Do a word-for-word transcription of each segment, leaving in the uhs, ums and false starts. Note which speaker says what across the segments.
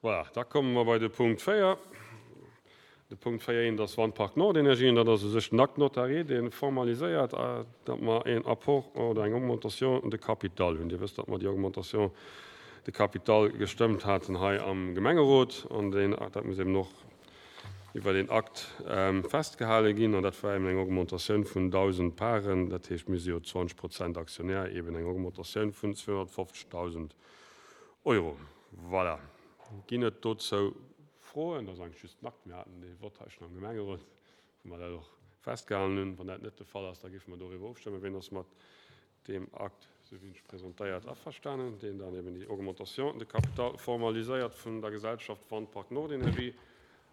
Speaker 1: Voilà, da komme mer bei de Punkt véier. De Punkt véier eent ass Wandpark Nordenergie, an dat ass u sech den Acte notarié, dee formaliséiert, datt mer een Apport oder eng Augmentation de capital hunn. Dir wësst, datt mer déi Augmentation de capital gestëmmt haten hei am Gemengerot, an deen, dat muss eben och iwwer een Akt festgehale ginn, an dat war eben eng Augmentatioun vun dausend Paren, dat heescht, mir si jo zwanzeg Prozent Aktionär, eben eng Augmentatioun vun zweehonnertfofzegdausend Euro. Voilà. Ginn et dozou Froen? Dat ass eigentlech just den Akt. Mir haten dee Vott hei schonn am Gemengerot, wou mer dat och festgehalen hunn. Wann dat net de Fall ass, da géife mer doriwwer ofstëmmen. Wien ass mat deem Akt, esou wéi en sech presentéiert, averstanen, deen dann eben déi Augmentation de capital formaliséiert vun der Gesellschaft Wandpark Nordenergie?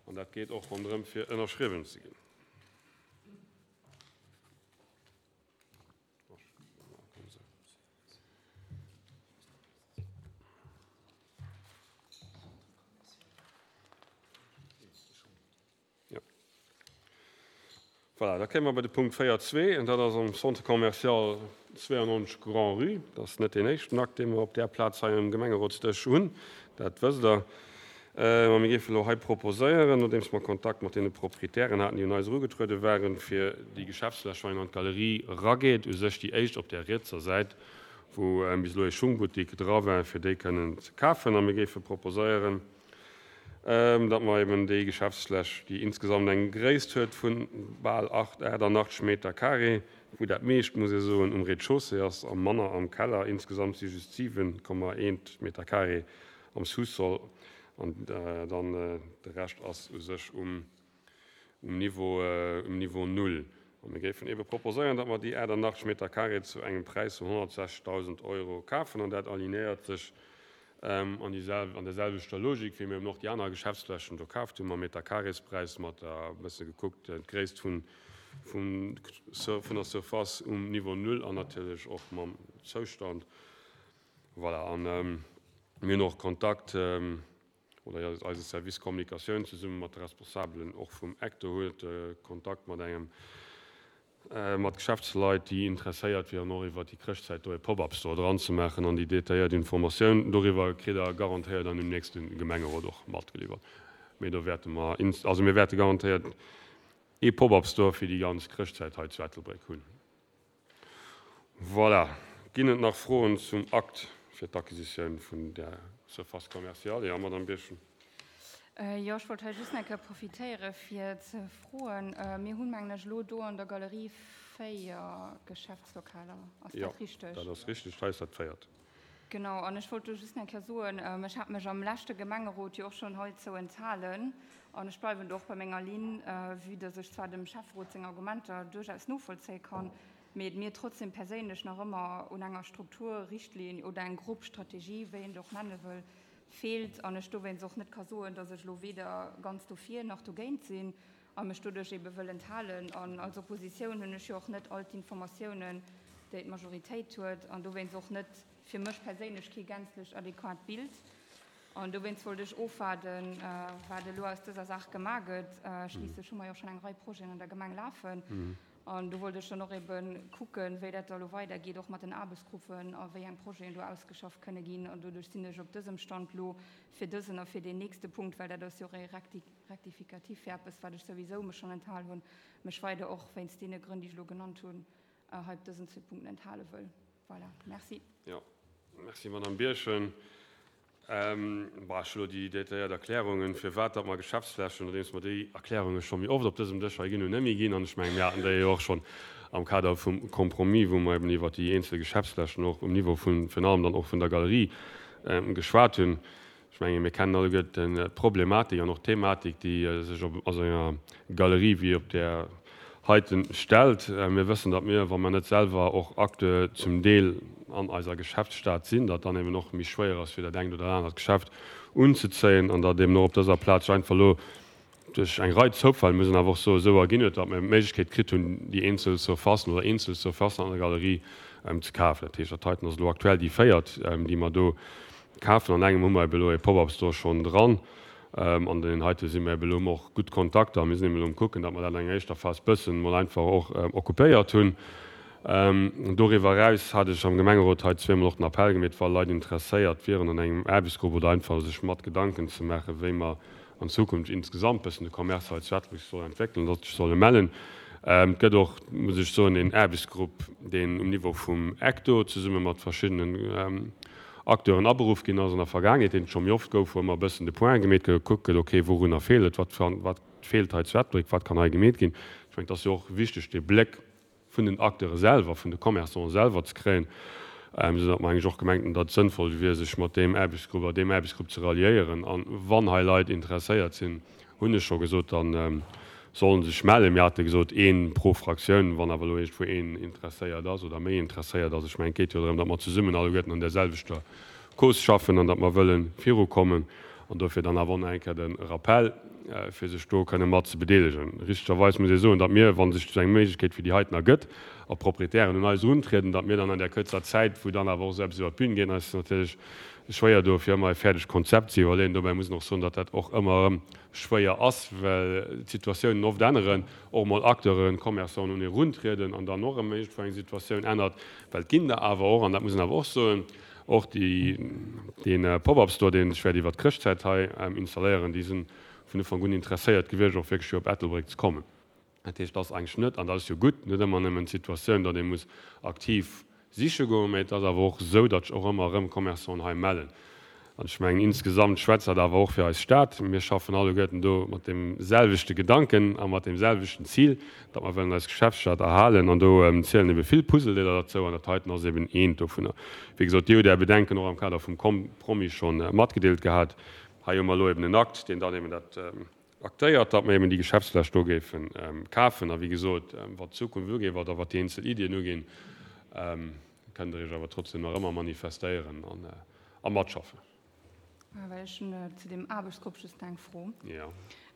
Speaker 1: An dat geet och ronderëm, fir ënnerschriwwen ze ginn. Voilà, da kéime mer bei de Punkt véier zwee, an dat ass am Centre commercial zweiundneunzeg Grand-Rue. Dat ass net deen éischten Akt, dee mer op där Plaz hei um Gemengerotsdësch hunn, dat wësst Der. Mä mir géifen elo hei proposéieren, nodeems mer Kontakt mat deene Proprietären haten, déi un eis erugetruede waren, fir déi Geschäftsfläch, wann een an d'Galerie erageet, u sech déi éischt op där rietser Säit, wou bis elo ee Schungbuttik dra war, fir déi kënnen ze kafen. A mir géife proposéieren, datt mer eben déi Geschäftsfläch, déi insgesamt eng Gréisst huet vu bal achtundachtzeg Meter carré, wou dat meescht, muss ee soen, um Rez-de-chaussée ass a manner am Keller, insgesamt si just siwen Komma eent Meter carré am Sous-sol, an dann de Rescht ass u sech um Niveau, um Niveau null. A mir géifen ebe proposéieren, datt mer déi achtundachtzeg Meter carré zu engem Präis vun honnertsechzegdausend Euro kafen, an dat alignéiert sech an déi sel-, an der selwechter Logik, wéi mir eben och déi aner Geschäftsflächen do kaaft hunn, mam Meter-Carrés-Präis, mat der, e bësse gekuckt, d'Gréisst vun, vun, vun der Surface um Niveau null an natierlech och mam Zoustand. Voilà, an mir hunn och Kontakt, oder eise Service Kommunikatioun zesumme mat de Responsabelen och vum Ecto huet Kontakt mat engem, mat Geschäftsleit, déi interesséiert wieren, och iwwer déi Chrëschtzäit do e Pop-up-Store dran ze maachen, an déi detailléiert Informatioun doriwwer kritt Der garantéiert an dem nächste Gemengerot och matgeliwwert. Mee do wäerte mer, also mir wäerte garantéiert ee Pop-up-Store fir déi ganz Chrëschtzäit hei zu Ettelbréck hunn. Voilà. Ginn et nach Froen zum Akt fir d'Acquisitioun vun der Surface commerciale? Ja, Madame Birchen.
Speaker 2: Jo, ech wollt hei just nach eng Kéier profitéiere fir ze froen. Mir hunn, mengen ech, elo do an der Galerie véier Geschäftslokaler. Ass dat richteg?
Speaker 1: Jo, dat ass richteg. Hei ass dat véiert.
Speaker 2: Genau, an ech wollt do just nach eng Kéier soen, ech hat mech am leschte Gemengerot jo och schonn heizou enthalen an ech bleiwen do och bei menger Linn, vue dass ech zwar dem Schäfferot seng Argumenter duerchaus novollzéie kann, mee et mir trotzdem perséinlech nach ëmmer un enger Strukturrichtlinn oder eng grob Strategie, wéi een et och nenne wëll, feelt an ech dowéinst och net ka soen, dass ech elo weder ganz dofir nach dogéint sinn a mech doduerch ebe wëll enthalen. An als Oppositioun hunn ech jo och net all d'Informatiounen, déi d'Majoritéit huet, an dowéinst och net fir mech perséinlech kee gänzlech adequat Bild. An dowéinst wollt ech ofwaarden, wat elo aus dëser Saach gemaach gëtt. Schliisslech hu mer jo schonn eng Rei Projeten an der Gemeng lafen. An do wollt ech dann och ebe kucken, wéi dat da elo weidergeet, och mat den Aarbechtsgruppen a wéi eng Projeten do ausgeschafft kënne ginn. An doduerch sinn ech op dësem Stand elo fir dësen a fir deen nächste Punkt, well dat ass jo och e Rectificatif fir eppes, wat ech souwisou mech schonn enthal hunn, mech weider och wéinst deene Grënn, déi ech elo genannt hunn, hei op dësen zwee Punkten enthale wëll. Voilà, merci.
Speaker 1: Jo, merci, Madame Birchen. Bon, ech hu elo déi detailléiert Erklärungen, firwat datt mer Geschäftsflächen, nodeems mer déi Erklärunge scho méi oft op dësem Dësch hei ginn hunn, net méi ginn. An ech mengen, mir haten déi jo och schonn am Kader vum Compromis, wou mer eben iwwert déi eenzel Geschäftsflächen och um Niveau vun, virun allem dann och vun der Galerie geschwat hunn. Ech mengen, mir kennen alleguerten d'Problematik an och d'Thematik, déi sech op a sou enger Galerie wéi op där heiten stellt. Mir wëssen, datt mir, wa mer net selwer och Acteur zum Deel an eiser Geschäftsstad sinn, datt dann eben och méi schwéier ass, fir dat engt oder anert Geschäft unzezéien, an datt eben och op dëser Plaz einfach elo duerch eng Rei Zoufäll, muss een awer och soen, esou erginn huet, datt mir d'Méiglechkeet kritt hunn, déi eenzel Surfacen oder eenzel Surfacen an der Galerie ze kafen. Dat heescht, dat heiten ass elo aktuell déi véiert, déi mer do kafen. An engem hu mer eben elo e Pop-up-Store schonn dran. An deenen heite si mir eben elo och gutt Kontakter. Mir sinn eben elo um Kucken, datt mer dat an enger éischter Phas bëssen mol einfach och occupéiert hunn. Doriwwer eraus hat ech am Gemengerot hei zweemol och den Appell gemeet, wa Leit interesséiert wieren an engem Aarbechtsgrupp oder einfach sech mat Gedanken ze maachen, wéi mer an Zukunft insgesamt bëssen de Commerce hei zu Ettelbréck soll entwéckelen, datt sech solle mellen. Et gëtt och, muss ech soen, een Aarbechtsgrupp, deen um Niveau vum ECTO zesumme mat verschiddenen Acteuren aberuff ginn ass an der Vergaangenheet, deen et scho méi oft gouf, wou ëmmer e bëssen de Point gemeet gëtt, gekuckt gëtt, okay, wourunner feelt et, wat wat feelt hei zu Ettelbréck, wat kann hei gemeet ginn. Ech mengen, et ass jo och wichteg, dee Bléck vun den Acteure selwer, vun de Commerçanten selwer ze kréien, esou datt mer eigentlech och gemengt hunn, datt et sënnvoll wier, sech mat deem Aarbechtsgrupp a deem Aarbechtsgrupp ze ralliéieren. A wann hei Leit interesséiert sinn, hunn ech scho gesot, da solle sech mellen. Mir hate gesot, ee pro Fraktioun. Wann awer elo iergendwou een interesséiert ass oder méi interesséiert ass, ech mengen, et geet jo drëm, datt mer zesummen alleguerten an där selwechter Cause schaffen an datt mer wëlle virukommen. An dofir dann awer och nach eng Kéier de Rappell, fir sech do kënne mat ze bedeelegen. Richtegerweis muss ee soen, datt mir, wa sech esou eng Méiglechkeet wéi déi heiten ergëtt, a Proprietären un eis eruntrieden, datt mir dann an där kuerzer Zäit, wou dann awer och esou eppes iwwer d'Bün geet, eis natierlech schwéier doe fir ëmmer e fäerdegt Konzept ze iwwerleeën. Dobäi muss een och soen, datt dat och ëmmer erëm schwéier ass, well d'Situatiounen oft änneren, och emol Acteuren, Commerçanten un ee eruntrieden an dann och erëm iergendwou eng Situatioun ännert, well et ginn der awer och, an dat muss een awer och soen, och déi, dee Pop-up-Store, deen ech wäert iwwert d'Chrëschtzäit hei installéieren, déi si vun Ufank un interesséiert gewiescht, och wierklech fir op Ettelbréck ze kommen. Dat heescht, et ass eigentlech net, an dat ass jo gutt, net ëmmer nëmmen d'Situatioun, datt ee muss aktiv siche goen, mä et ass awer och esou, datt sech och ëmmer erëm Commerçanten hei mellen. An ech mengen, insgesamt schwätzt dat awer och fir eis Stad. Mir schaffen alleguerten do mat deem selwechte Gedanken a mat deem selwechten Zil, datt mer wëllen eis Geschäftsstad erhalen. An do zielen ebe vill Puzzledeeler derzou an dat heiten ass eben eent dovunner. Wéi gesot, Dir hutt Är Bedenken och am Kader vum Compromis scho matgedeelt gehat. Hei hu mer elo eben en Akt, deen dann eben dat aktéiert, datt mer eben déi Geschäftsfläch do géife kafen. A wéi gesot, wat d'Zukunft ugeet oder wat déi eenzel Iddien uginn, kënnt Der Iech awer trotzdem nach ëmmer manifestéieren a matschaffen.
Speaker 2: Well ech hunn zu deem Aarbechtsgrupp just eng Fro.
Speaker 1: Jo.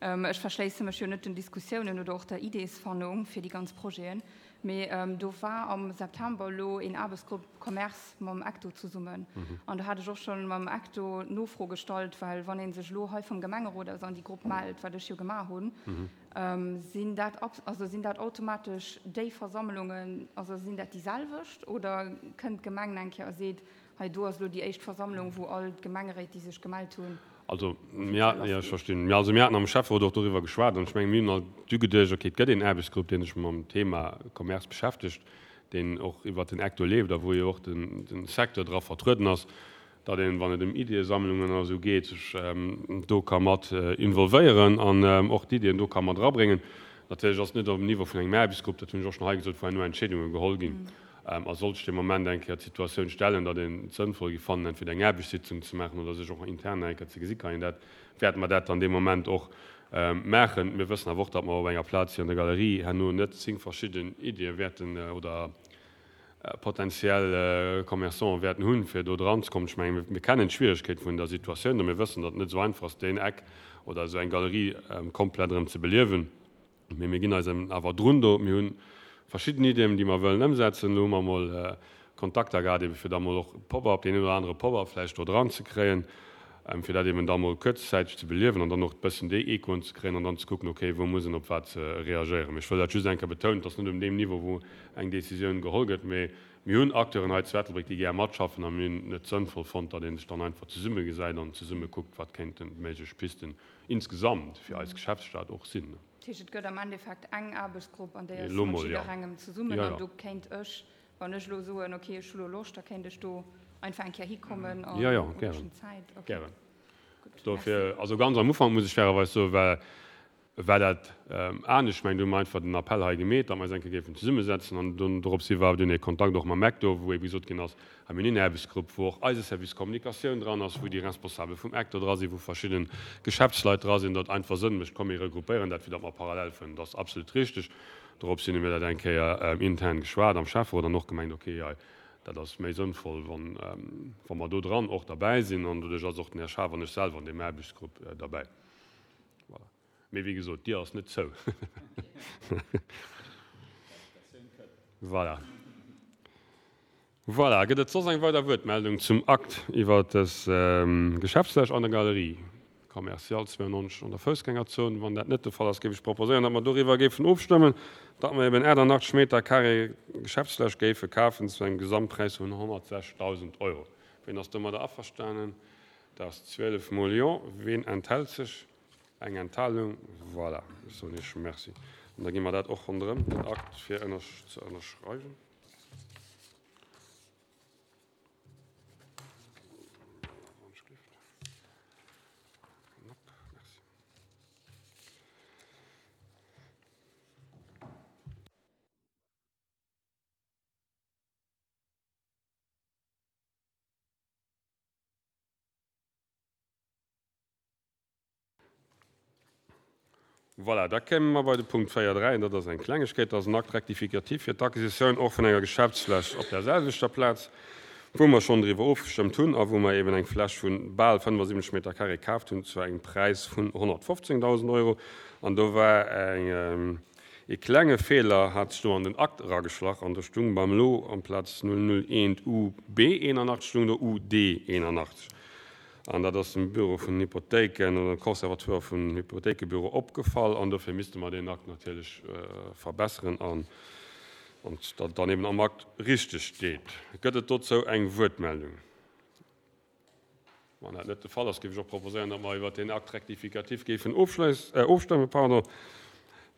Speaker 2: Ech verschléisse mech jo net den Diskussiounen oder och der Ideesfannung fir déi ganz Projeten, mee do war am September elo een Aarbechtsgrupp Commerce mam ECTO zesummen an do hat ech och schonn mam ECTO d'Nofro gestallt, well wann ee sech elo hei vum Gemengerot aus an déi Grupp mellt, wat ech jo gemaach hunn, sinn dat, also sinn dat automatesch déi Versammlungen, also sinn dat déi selwecht oder kënnt d'Gemeng eng Kéier a seet, Hei do ass elo déi éischt Versammlung, wou all d'Gemengeréit, déi sech gemellt hunn,
Speaker 1: Also, mir haten, jo, ech verstinn. Mir, also mir haten am Schäfferot och doriwwer geschwat an ech mengen, mir hunn all du geduecht, okay, et gëtt een Aarbechtsgrupp, dee sech mam Thema Commerce beschäftegt, deen och iwwert den Ecto leeft a wou jo och den, den Secteur dra vertrueden ass, datt een, wann et ëm Iddiesammlungen oder esou geet, sech do ka mat involvéieren an och d'Iddien do ka mat erabréngen. Natierlech ass et net op dem Niveau vun engem Aarbechtsgrupp, dat hunn ech och schonn hei gesot, wou herno Entscheedunge geholl ginn. A sollt sech dee Moment eng Kéier d'Situatioun stellen, datt een et sënnvoll géif fannen, entweder eng Aarbechtssitzung ze maachen oder sech och intern nach eng Kéier ze gesi kann een dat, wäerte mer dat dann dee Moment och maachen. Mir wëssen awer och, datt mer op enger Plaz wéi an der Galerie herno net zéng verschidden Iddie wäerten oder potenziell Commerçanten wäerten hunn, fir do dran ze kommen. Ech mengen, mir kennen d'Schwieregkeet vun der Situatioun a mir wëssen, datt et net esou einfach ass, deen Eck oder esou eng Galerie komplett erëm ze beliewen. Mee mir ginn eis awer drun do. Mir hu verschidden Iddien, déi mer wëllen ëmsetzen. Elo hu mer emol Kontakter gehat, ebe fir da mol och Pop-up, deen een oder anere Pop-up vläicht do dran ze kréien, fir dat eben da mol kuerzzäiteg ze beliewen an dann och e bëssen déi Echoen ze kréien an dann ze kucken, okay, wou muss een op wat reagéieren. Mee ech wëll dat just eng Kéier betounen, et ass net um deem Niveau, wou eng Décisioun geholl gëtt, mee mir hunn Acteuren hei zu Ettelbréck, déi gär matschaffen a mir hunn et sënnvoll fonnt, datt ee sech dann einfach zesummegesäit an zesumme kuckt, wat kéinten méiglech Pisten insgesamt fir eis Geschäftsstad och sinn.
Speaker 2: Dat heescht, et gëtt am Endeffekt eng Aarbechtsgrupp, an déi ass
Speaker 1: Elo
Speaker 2: mat
Speaker 1: mol, jo.
Speaker 2: jidderengem zesummen.
Speaker 1: Jo,
Speaker 2: An
Speaker 1: jo.
Speaker 2: do kéint ech, wann ech elo soen, okay, ech hu lo Loscht, da kéint ech do einfach eng Kéier hikommen an
Speaker 1: Jo, jo,
Speaker 2: hunn ech
Speaker 1: gären.
Speaker 2: schonn Zäit. Okay,
Speaker 1: Gären.
Speaker 2: gutt, merci.
Speaker 1: Dofir, also ganz am Ufank, muss ech fairerweis soen, war, war dat anescht. Ech mengen, do hu mer einfach den Appell hei gemeet, datt mer eis eng Kéier géifen zesummesetzen. An dunn doropshi war dunn e Kontakt och mam Ecto, wou ebe gesot ginn ass, hei mir hunn een Aarbechtsgrupp, wou och eise Service Kommunikatioun dran ass, wou déi Responsabel vum Ecto dra sinn, wou verschidde Geschäftsleit dra sinn, datt einfach Sënn mécht, komm mir regroupéieren dat, fir datt mer parallel fueren. Dat ass absolut richteg. Doropshi hu mir dat eng Kéier intern geschwat am Schäfferot an och gemengt, okay, hei, dat ass méi sënnvoll, wann, wa mer do dran och derbäi sinn. An doduerch ass och den Här Schaaf an ech selwer an deem Aarbechtsgrupp derbäi. Voilà. Mee wéi gesot, d'Dier ass net zou. Voilà. Voilà. Gëtt et soss eng weider Wuertmeldung zum Akt iwwert dës Geschäftsfläch an der Galerie? Commercial zwouennonzeg an der Foussgängerzon. Wann dat net de Fall ass, géif ech proposéieren, datt mer doriwwer géifen ofstëmmen, datt mer eben achtannachtzeg Meter carré Geschäftsfläch géife kafen zu engem Gesamtpräis vun honnertsechstausend Euro. Ween ass domadder averstanen? Dat ass zwielef mol Jo. Ween enthält sech? Eng Enthalung. Voilà, ech soen Iech Merci. An da gi mer dat och ronderëm, den Akt, fir ze ënnerschreiwen. Voilà, da kéime mer bei de Punkt véier dräi, an dat ass eng Klengegkeet, dat ass en Acte rectificatif fir d'Acquisitioun och vun enger Geschäftsfläch op där selwechter Plaz, wou mer schonn driwwer ofgestëmmt hunn a wou mer eben eng Fläch vu bal fënnefasiwwenzeg Meter carré kaaft hunn zu engem Präis vun honnertfofzéngdausend Euro. An do war eng, ee klenge Feeler hat sech do an den Akt erageschlach an do stung beim Lot amplaz null null eent U B eenanachtzeg stung do U D eenanachtzeg. An dat ass dem Büro vun den Hypothéiken oder dem Conservatoire vum Hypothéikebüro opgefall an dofir misste mer deen Akt natierlech verbesseren an datt et dann eben am Akt richteg steet. Gëtt et dozou eng Wuertmeldung? Wann dat net de Fall ass, géif ech och proposéieren, datt mer iwwert deen Acte rectificatif géifen ofstëmmen. Pardon.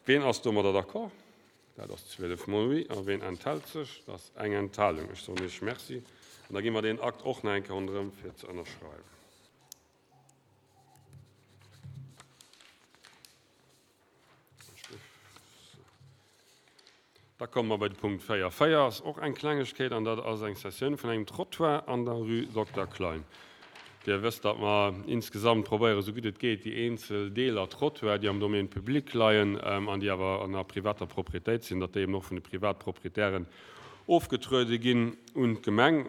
Speaker 1: Ween ass domadder d'accord? Dat ass zwielef mol oui. A ween enthält sech? Dat ass eng Enthalung. Ech soen Iech Merci. An da gi mer deen Akt och nach eng Kéier ronderëm, fir ze ënnerschreiwen. Da komme mer bei de Punkt véier véier, ass och eng Klengegkeet, an dat ass eng Cessioun vun engem Trottoir an der Rue Dokter Klein. Dir wësst, datt mer insgesamt probéieren, esou gutt et geet, déi eenzel Deeler Trottoir, déi am Domaine public leien an déi awer an der privater Propriétéit sinn, datt déi eben och vun de Privatproprietären ofgetruede ginn un d'Gemeng.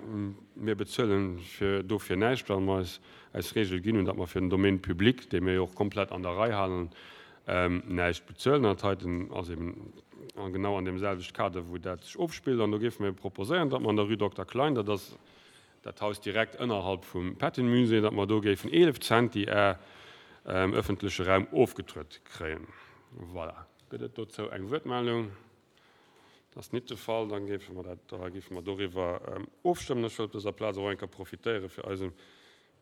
Speaker 1: Mir bezuelen dofir näischt, well mer eis eis Regel ginn hunn, datt mer fir den Domaine public, dee mir jo och komplett an der Rei halen, näischt bezuelen. An dat heiten ass eben genau an deem selwechte Kader, wou dat sech ofspillt. An do géife mir proposéieren, datt mer an der Rue Dokter Klein, dat ass dat Haus direkt ënnerhalb vum Patton-Musée, datt mer do géifen eelef Centi Är ëffentleche Raum ofgetruet kréien. Voilà. Gëtt et dozou eng Wuertmeldung? Dat ass nit de Fall. Da géife mer dat, da géife mer doriwwer ofstëmmen. Ech wëll op dëser Plaz och eng Kéier profitéiere fir eisem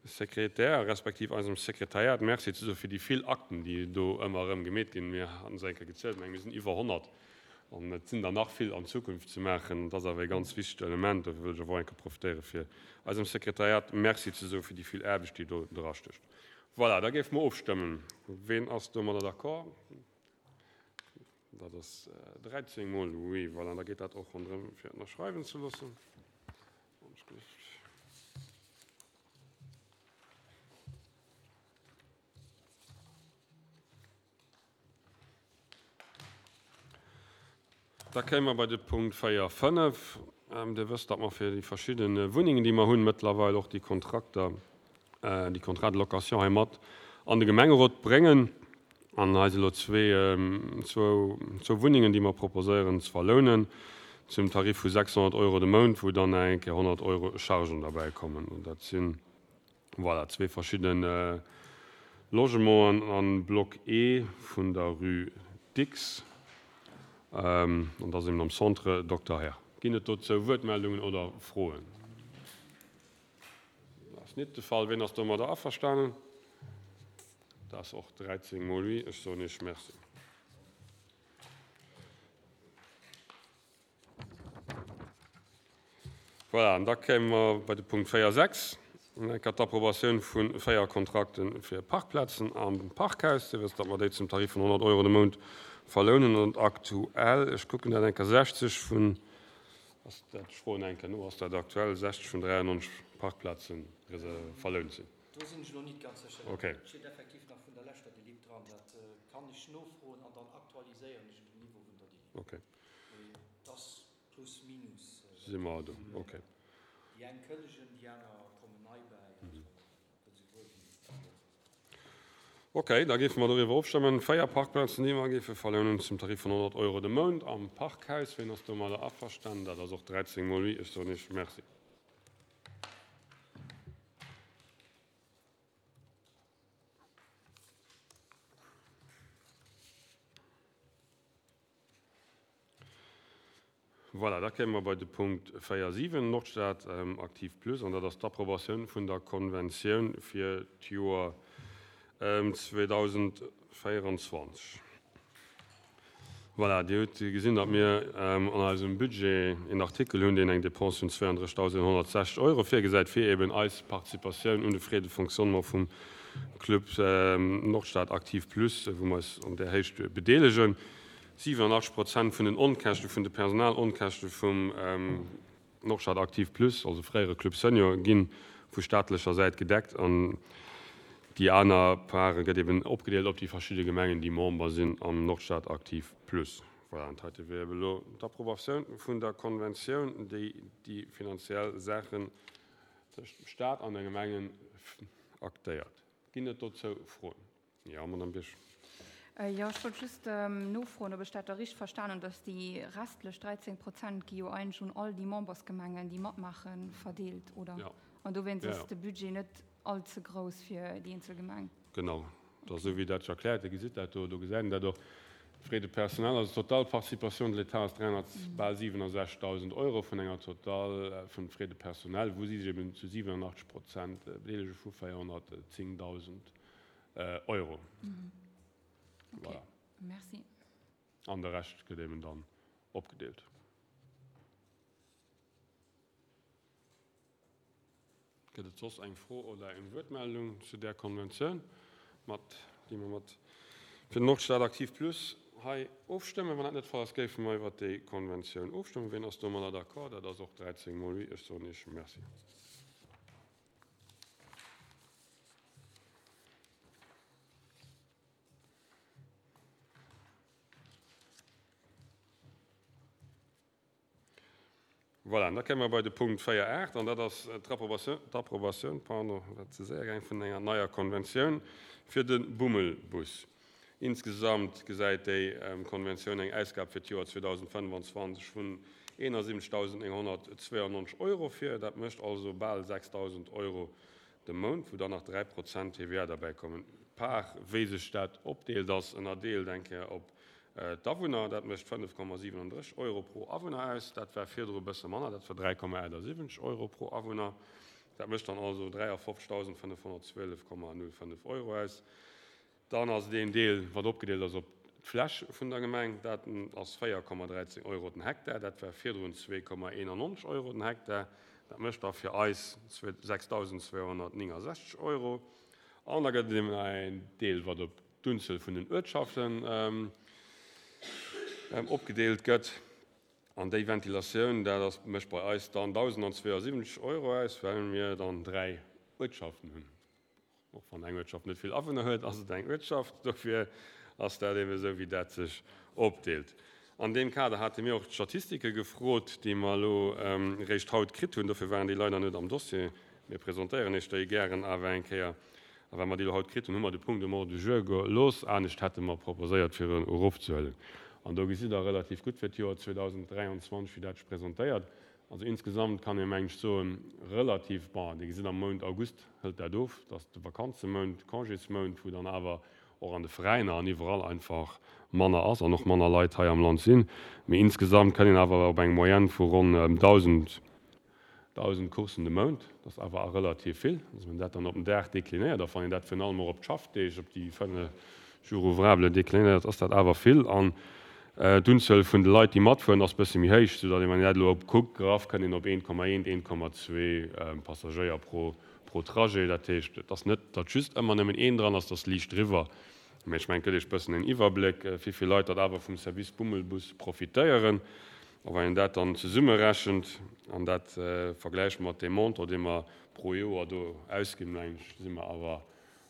Speaker 1: Sekretär respektiv eisem Sekretariat Merci ze soe fir déi vill Akten, déi do ëmmer erëm gemeet ginn. Mir haten se eng Kéier gezielt, meng mir sinn iwwer honnert an et sinn der nach vill an Zukunft ze maachen. Dat ass awer e ganz wichtegt Element. Dofir wëll ech awer och eng Kéier profitéiere fir eisem Sekretariat Merci ze soe fir déi vill Aarbecht, déi do drastécht. Voilà, da géife mer ofstëmmen. Ween ass domadder d'accord? Dat ass dräizéng mol oui. Voilà, da geet dat och ronderëm fir ënnerschreiwen ze loossen. Da kéime mer bei de Punkt véier, fënnef. Dir wësst, datt mer fir déi verschidde Wunnengen, déi mer hunn, mëttlerweil och déi Kontrakter, déi Contrats de location hei mat an de Gemengerot bréngen. An hei si elo zwee, zwou, zwou Wunnengen, déi mer proposéieren ze verlounen zum Tarif vu sechshonnert Euro de Mount, wou dann nach eng Kéier honnert Euro Chargen derbäi kommen. Dat sinn, voilà, zwee verschidde Logementen an Block E vun der Rue Dicks. An dat ass eben am Centre Dokter Herr. Ginn et dozou Wuertmeldungen oder Froen? Dat ass net de Fall. Wien ass domadder averstanen? Dat ass och dräizéng mol oui. Ech soen Iech Merci. Voilà, an da kéime mer bei de Punkt véier sechs, d'Approbatioun vu véier Kontrakte fir Parkplazen am Parkhaus. Dir wësst, datt mer déi zum Tarif vun honnert Euro de Mount verlounen. An aktuell, ech kucken dat eng Kéier, sechzeg vun, ass dat, ech froen eng Kéier no, ass dat aktuell, sechzeg vun dräiannonzeg Parkplaze verlount sinn?
Speaker 3: Do sinn ech elo nit ganz sécher.
Speaker 1: Okay.
Speaker 3: Dat steet effektiv nach vun der leschter Delib dran. Dat kann ech nofroen an dann aktualiséieren ech den Niveau vun der Delib.
Speaker 1: Okay.
Speaker 3: Mee dat ass plus minus.
Speaker 1: Si mer do, okay.
Speaker 3: Déi eng kënnegen, déi aner kommen nei bäi. Also, dat si wuel déi.
Speaker 1: Okay, da géife mer doriwwer ofstëmmen. Véier Parkplazen, déi mer géife verlounen zum Tarif vun honnert Euro de Mount am Parkhaus. Wien ass domadder averstanen? Dat ass och dräizéng mol oui. Ech soen Iech Merci. Voilà, da kéime mer bei de Punkt véier siwen, Nordstad Aktiv Plus, an dat ass d'Approbatioun vun der Konventioun fir d'Joer zweedausendvéierundzwanzeg. Voilà, Dir hutt gesinn, datt mir an eisem Budget een Artikel hunn, deen eng Dépense vun zweiunddrëssigdausendhonnertsechzeg Euro virgesäit, fir eben eis Participatioun un de Frais de fonctionnement vum Club Nordstad Aktiv Plus, wou mer eis an där Héicht bedeelegen. Siwenundachtzeg Prozent vun den Onkäschte, vun de Personalonkäschte vum Nordstad Aktiv Plus, also fréiere Club Senior, gi vu staatlecher Säit gedeckt an déi aner Part gëtt eben opgedeelt op déi verschidde Gemengen, déi Member sinn am Nordstad Aktiv Plus. Voilà, an heite wier eben elo d'Approbatioun vun der Konventioun, déi déi finanziell Saachen tëscht dem Staat an de Gemengen aktéiert. Ginn et dozou Froen? Jo, Madame Birsch.
Speaker 2: Jo, ech wollt just nofroen, ob ech dat da richteg verstan hunn, dass déi restlech dräizéng Prozent gi jo eigentlech un all déi Membersgemengen, déi matmaachen, verdeelt, oder?
Speaker 1: Jo.
Speaker 2: An dowéinst
Speaker 1: Ja,
Speaker 2: ass
Speaker 1: ja.
Speaker 2: de Budget net all ze grouss fir déi eenzel Gemeng.
Speaker 1: Genau, dat ass esou wéi dat sech erkläert. Dir gesitt dat do, do gesäit een dat och. Frais de personnel, also d'total Participation de l'État ass dräihonnert bal siwenundsechzigtausend Euro vun enger Total vun Frais de personnel, wou si sech eben zu siebenundachtzig Prozent bedeelege vu véierhonnertzéngtausend Euro.
Speaker 2: Okay.
Speaker 1: Voilà.
Speaker 2: Merci.
Speaker 1: An de Rescht gëtt eben dann opgedeelt. Gëtt et soss eng Fro oder eng Wuertmeldung zu där Konventioun, mat déi mer mat fir den Nordstad Aktiv Plus hei ofstëmmen? Wann dat net de Fall ass, géife mer iwwer déi Konventioun ofstëmmen. Wien ass domadder d'accord? Dat ass och dräizéng mol oui. Ech soen Iech Merci. Voilà, da kéime mer bei de Punkt véier aacht, an dat ass d'Approbatioun, d'Approbatioun, pardon, wat ze séier gaang, vun enger neier Konventioun fir de Bummelbus. Insgesamt gesäit déi Konventioun eng Ausgab fir d'Joer zweedausendfënnefanzwanzeg vun eenundsiebzigtausendneunhundertzweiundneunzig Euro vir. Dat mécht also bal sechstausend Euro de Mount, wou dann nach dräi Prozent T V A derbäi kommen. Par, wéi sech dat opdeelt, ass ënnerdeelt eng Kéier op d'Awunner. Dat mécht fënnef Komma siewenunddrësseg Euro pro Awunner aus. Dat war virdru e bësse manner, dat war dräi Komma achtundsiebzig Euro pro Awunner. Dat mécht dann also dräiundfünfzigtausendfünfhundertzwölf Komma null fünf Euro aus. Dann ass deen Deel, wat opgedeelt ass op d'Fläch vun der Gemeng, dat ass véier Komma dräizéng Euro den Hektar, dat war virdrun zwee Komma einundneunzig Euro den Hektar. Dat mécht da fir eis sechstausendzweihundertneunundsechzig Euro. An da gëtt et eben en Deel, wat op d'Unzuel vun den Uertschaften, ähm, ähm, opgedeelt gëtt. An déi Ventilatioun, dat ass, mécht bei eis dann tausendzweiundsiebzig Euro aus, well mir dann dräi Uertschaften hunn. Och wann eng Uertschaft net vill Awunner huet, ass et eng Uertschaft. Dofir ass dat eben esou, wéi dat sech opdeelt. An deem Kader hate mir och d'Statistike gefrot, déi mer elo, ähm, réischt haut kritt hunn. Dofir waren déi leider net am Dossier. Mir presentéieren iech déi gären awer eng Kéier. A well mer déi elo haut kritt hunn, hu mer de Punkt um Ordre du jour gelooss. Anescht hätte mer proposéiert, fir en erofzehuelen. An do gesitt der relativ gutt fir d'Joer zweitausenddräiundzwanzig, wéi dat sech presentéiert. Also insgesamt kann ee mengt soen, relativ, bon, Dir gesitt am Mount August hëlt dat of, dass de Vakanzemount, Congésmount, wou dann awer och an de Veräiner an iwwerall einfach manner ass an och manner Leit hei am Land sinn. Mee insgesamt kann een awer op eng Moyenne vu ronn, ähm, tausend, tausend Coursen de Mount, das ist awer auch relativ vill. Also wenn dat dann op den Dag deklinéiert, da wann een dat virun allem och op d'Schaffdeeg, op déi fënnef Jours ouvrables deklinéiert, ass dat awer vill. An, äh, d'Unzuel vun de Leit, déi matfueren, ass bësse méi héich, sodatt een, wann een dat elo op kuckt, graff, kann een op een Komma eent, een Komma zwee, ähm, Passagéier pro, pro Trajet. Dat heescht, et ass net, datt just ëmmer nëmmen een dran ass, das liicht driwwer. Mee ech mengen, gëtt iech bëssen en Iwwerbléck, äh, wéi vill Leit dat awer vum Service Bummelbus profitéieren. A wann een dat dann zesummerechent an dat, äh, vergläicht mat dem Montant, dee mer pro Joer do ausginn, mengen ech, si mer awer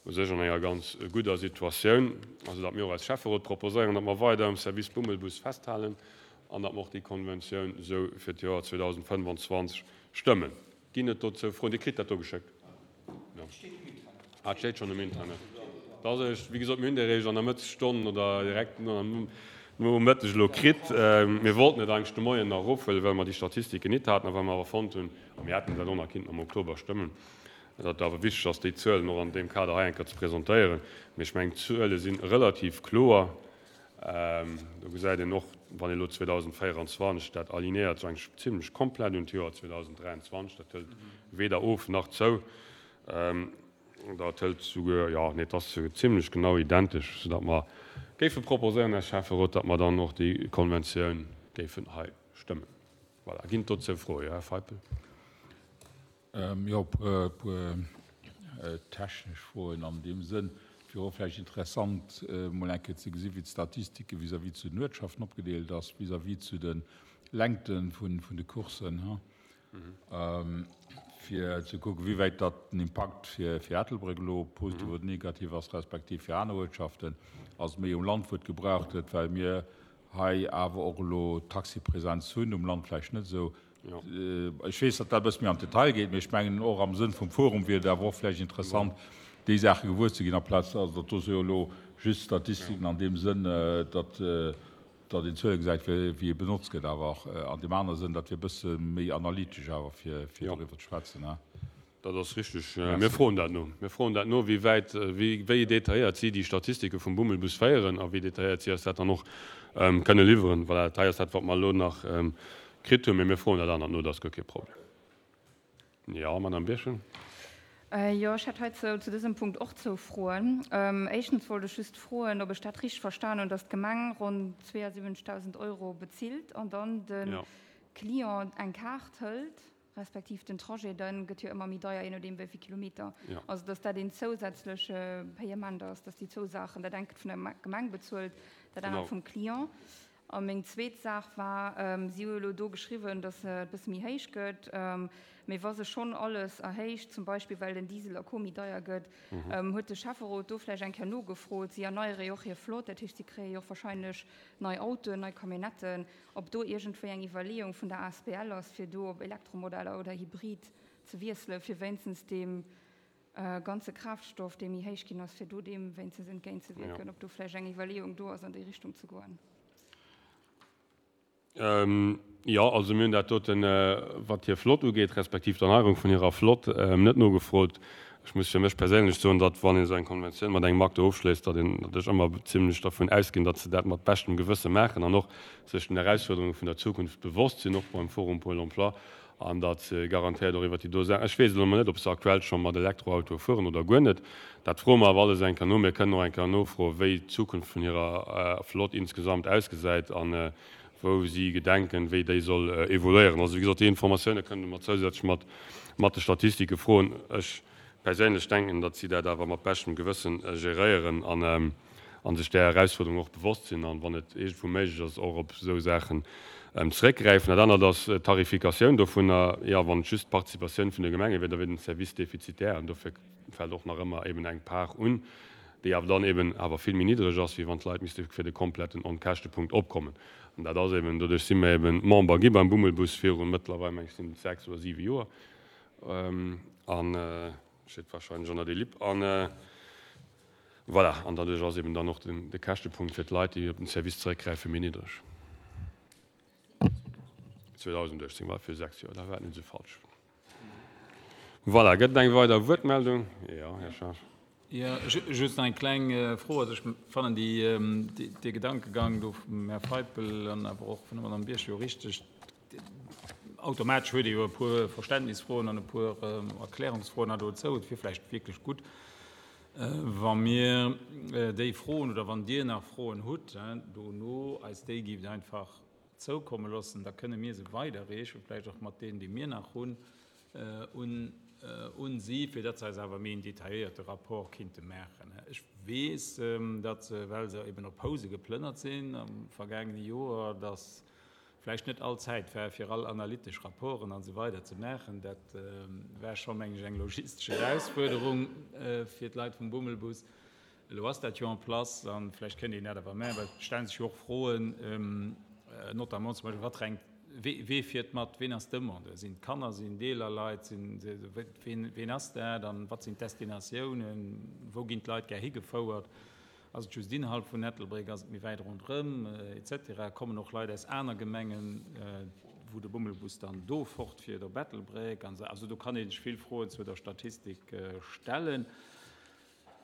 Speaker 1: u sech an enger ganz guter Situatioun. Also dat mir och als Schäfferot proposéieren, datt mer weider am Service Bummelbus festhalen an datt mer och déi Konventioun sou fir d'Joer zweitausendfënnefanzwanzig stëmmen. Ginn et dozou Froen? Dir kritt dat do geschéckt. Ja. Ah, steet schon im Internet. Das ist, wie gesagt, mir hunn déi réischt an der Mëttesstonn oder direkt no am no Mëtteg elo kritt. Ähm, mir wollten net eigentlich de Moien nach erofhuelen, well mer déi Statistiken net haten, a well mer awer fonnt hunn, a mir hätten dat och nach kinnten am Oktober stëmmen, datt awer wichteg ass, déi Zuelen och an deem Kader hei eng Kéier ze presentéieren. Mee ech mengen, d'Zuele sinn relativ kloer. Do gesäit een och, wann ee elo zweedausendvéieranzwanzeg dat alignéiert, sou eigentlech zimlech komplett un d'Joer zweedausendräianzwanzeg, dat hëlt weder of nach zou, dat hëlt souguer, jo, nee, et ass zimlech genau identesch, soudatt mer géife proposéieren, Här Schäfferot, datt mer dann och déi Konventioun géifen hei stëmmen. Voilà. Ginn et dozou Froen? Jo, Här Feipel.
Speaker 4: Jo, e puer technesch Froen an deem Sënn. Et wier och vläicht interessant, emol eng Kéier ze gesinn, wéi d'Statistike vis-à-vis zu den Uertschaften opgedeelt ass, vis-à-vis zu de Längte vun de Coursen, fir ze kucken, wéi wäit datt den Impakt fir Ettelbréck elo positiv oder negativ ass, respektiv fir aner Uertschaften. Ass et méi um Land, wou et gebraucht gëtt, well mir hei awer och elo Taxipresenz hunn, um Land vläicht net esou. Ech weess, datt dat e bësse méi an d'Detail geet, mee ech mengen, och am Sënn vum Forum wier et awer och vläicht interessant, déi Saache gewuer ze ginn, amplaz, also datt do si jo elo just Statistiken an deem Sënn, datt datt een Zuele gesäit, wéi e benotzt gëtt, awer och an deem anere Sënn, dat wier e bësse méi analytesch awer, fir doriwwer ze schwätzen.
Speaker 1: Dat ass richtig. Mir froen dat no. Mir froen dat no, wéi wäit, wéi detailléiert si déi Statistike vum Bummelbus féieren a wéi detailléiert si eis dat dann och kënne liwweren. Voilà, dat hei ass dat, wat mer elo nach kritt hunn, mee mir froen dat anert no, dat ass guer kee Problem. Jo, Madame Birchen.
Speaker 2: Jo, ech hätt heizou zu dësem Punkt och zwou Froen. Éischtens wollt ech just froen, ob ech dat richteg verstan hunn, dass d'Gemeng ronn zweeasiwwenzegdausend Euro bezilt an dann de Client eng Kaart hëlt, respektiv den Trajet dann gëtt jo ëmmer méi deier, je nodeem wéi vill Kilometer. Also dass dat een zousätzleche Payement ass, dass déi zwou Saachen, dat engt gëtt vun der Gemeng bezuelt, dat anert vum Client. A meng zweet Saach war, si hu elo do geschriwwen, dass et e bësse méi héich gëtt, mee wa sech schonn alles erhéicht, zum Beispill well den Diesel a Co méi deier gëtt, huet de Schäfferot do vläicht eng Kéier nogefrot, si erneiere jo och hir Flott, dat heescht si kréie jo och wahrscheinlech nei Autoen, nei Camionnetten, ob do iergendwéi eng Iwwerleeung vun der asbl ass, fir do op Elektromodeller oder Hybrid ze wiesselen, fir wéinstens deem ganze Kraaftstoff, dee méi héich ginn ass, fir do deem wéinstens entgéintzewierken, ob do vläicht eng Iwwerleeung do ass, an déi Richtung ze goen.
Speaker 1: Jo, also mir hunn dat doten, wat hir Flott ugeet, respektiv d'Erneierung vun hirer Flott, net nogefrot. Ech muss fir mech perséinlech soen, datt, wann een esou eng Konventioun mat engem Acteur ofschléisst, datt een, datt ech ëmmer zimlech dervun ausginn, datt se dat mat beschtem Gewësse maachen an och sech den Erausfuerderunge vun der Zukunft bewosst sinn, och beim Forum Pôle emploi, an datt se garantéiert och iwwert déi do Saachen, ech weess elo emol net, ob se aktuell scho mat Elektroautoe fueren oder guer net, dat froe mer awer alles eng Kéier no. Mir kënnen och eng Kéier nofroen, wéi d'Zukunft vun hirer Flott insgesamt ausgesäit an wou si gedenken, wéi déi soll evoluéieren. Also, wéi gesot, déi Informatioune kënne mer zousätzlech mat mat de Statistike froen. Ech perséinlech denken, datt si dat awer mat beschtem Gewëssen geréieren an a sech där Erausfuerderung och bewosst sinn an, wann et iergendwou méiglech ass, och op esou Saachen zeréckgräifen. Dat anert ass d'Tarifikatioun dovunner. Jo, wann et just d'Participatioun vun de Gemenge wier, da wier den Service defizitär an dofir fält och nach ëmmer eben eng Part un, déi awer dann eben awer vill méi niddreg ass, wéi wann d'Leit misste fir de kompletten Onkäschtepunkt opkommen. An dat ass eben, doduerch si mir eben Member gi beim Bummelbus viru mëttlerweil, meng ech, sinn et sechs oder siwe Joer, an steet wahrscheinlech an der Delib. An voilà, an doduerch ass eben dann och de Käschtepunkt fir d'Leit, déi op den Service zeréckgräifen, méi niddreg. zweedausenduechtzéng war viru sechs Joer, da war et net esou falsch. Voilà, gëtt et eng weider Wuertmeldung? Jo, Här Schaaf.
Speaker 5: Jo, just nach eng kleng Fro. Also ech fannen dee Gedankegang do vum Här Feipel an awer och vun der Madame Birchen jo richteg. Automatesch huet ee jo e puer Verständnisfroen an e puer Erklärungsfroen nach dozou. Et wier vläicht wierklech gutt, wa mir déi Froen oder wann Dir nach Froen hutt, dono eis déi gift einfach zoukomme loossen, da kënne mir se weiderreechen, vläicht och mat deenen, déi mir nach hunn, un un si, fir datt se eis awer méi en detailléierte Rapport kinnte maachen. Ech weess, datt se, well se eben op Housen geplënnert sinn am vergaangene Joer, datt vläicht net all Zäit war, fir all analytesch Rapporten an esou weider ze maachen. Dat war scho, meng ech, eng logistesch Erausfuerderung fir d'Leit vum Bummelbus. Elo ass dat jo en place a vläicht kënnt een dat awer maachen, well et stelle sech jo och Froen, notamment zum Beispill, wat renkt, wee fiert mat, ween ass Demandeur, sinn et Kanner, sinn et eeler Leit, sinn, ween, ween ass dat an wat sinn d'Destinatiounen, wou ginn d'Leit gär higefouert, ass et just innerhalb vun Ettelbréck, ass et méi wäit ronderëm, et cetera. Kommen och Leit aus aner Gemengen, wou de Bummelbus dann do fortfiert op Ettelbréck an esou. Also do kann ee sech vill Froen zu der Statistik stellen.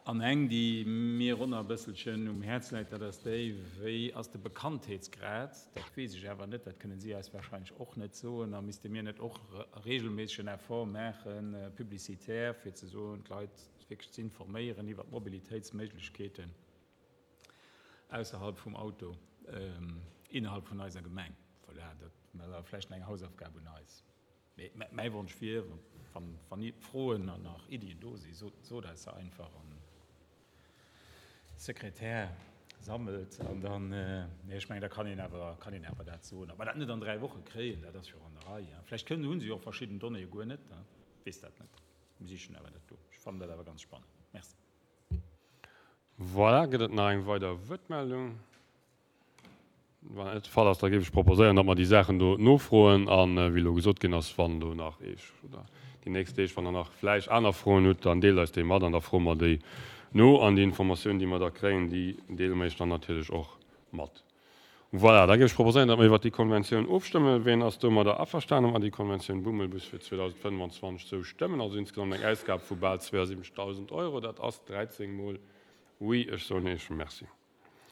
Speaker 5: An eng, déi mir och nach e bësselchen um Häerz läit, dat ass déi, Wéi ass de Bekanntheetsgrad? Dat weess ech awer net, dat kënnen si eis wahrscheinlech och net soen. A misste mir net och regelméisseg en Effort maachen, publicitaire, fir ze soen, d'Leit wierklech ze informéieren iwwert d'Mobilitéitsméiglechkeeten ausserhalb vum Auto innerhalb vun eiser Gemeng? Voilà, dat awer vläicht nach eng Hausaufgab un eis. Mee mäi Wonsch wier, wann Froen an nach Iddien do sinn, sot eis se einfach an Sekretär sammelt an dann, nee, ech mengen, da kann een awer, kann een awer dat soen. Ob mer dat net an dräi Woche kréien, dat ass jo an der Rei. Vläicht kënnen, hu se jo och verschidden Donnéeë guer net, weess dat net. Mir sichen awer dat do. Ech fannen dat awer ganz spannend. Merci.
Speaker 1: Voilà, gëtt et nach eng weider Wuertmeldung? Wann dat net de Fall ass, da géif ech proposéieren, datt mer déi Saachen do nofroen an, wéi elo gesot ginn ass, wann do nach Eech oder déi nächst Deeg, wann Der nach vläicht aner Froen hutt, dann deelt eis déi mat an da froe mer déi no an déi Informatioun, déi mer da kréien, déi deele mer Iech dann natierlech och mat. Voilà, da géif ech proposéieren, datt mer iwwert déi Konventioun ofstëmmen. Ween ass domadder averstanen, datt mer déi Konventioun Bummelbus fir zweedausendfënnwanzwanzeg esou stëmmen? Also insgesamt eng Ausgab vu bal zweeasiwwenzegdausend Euro, dat ass dräizéng mol Oui. Ech soen Iech Merci.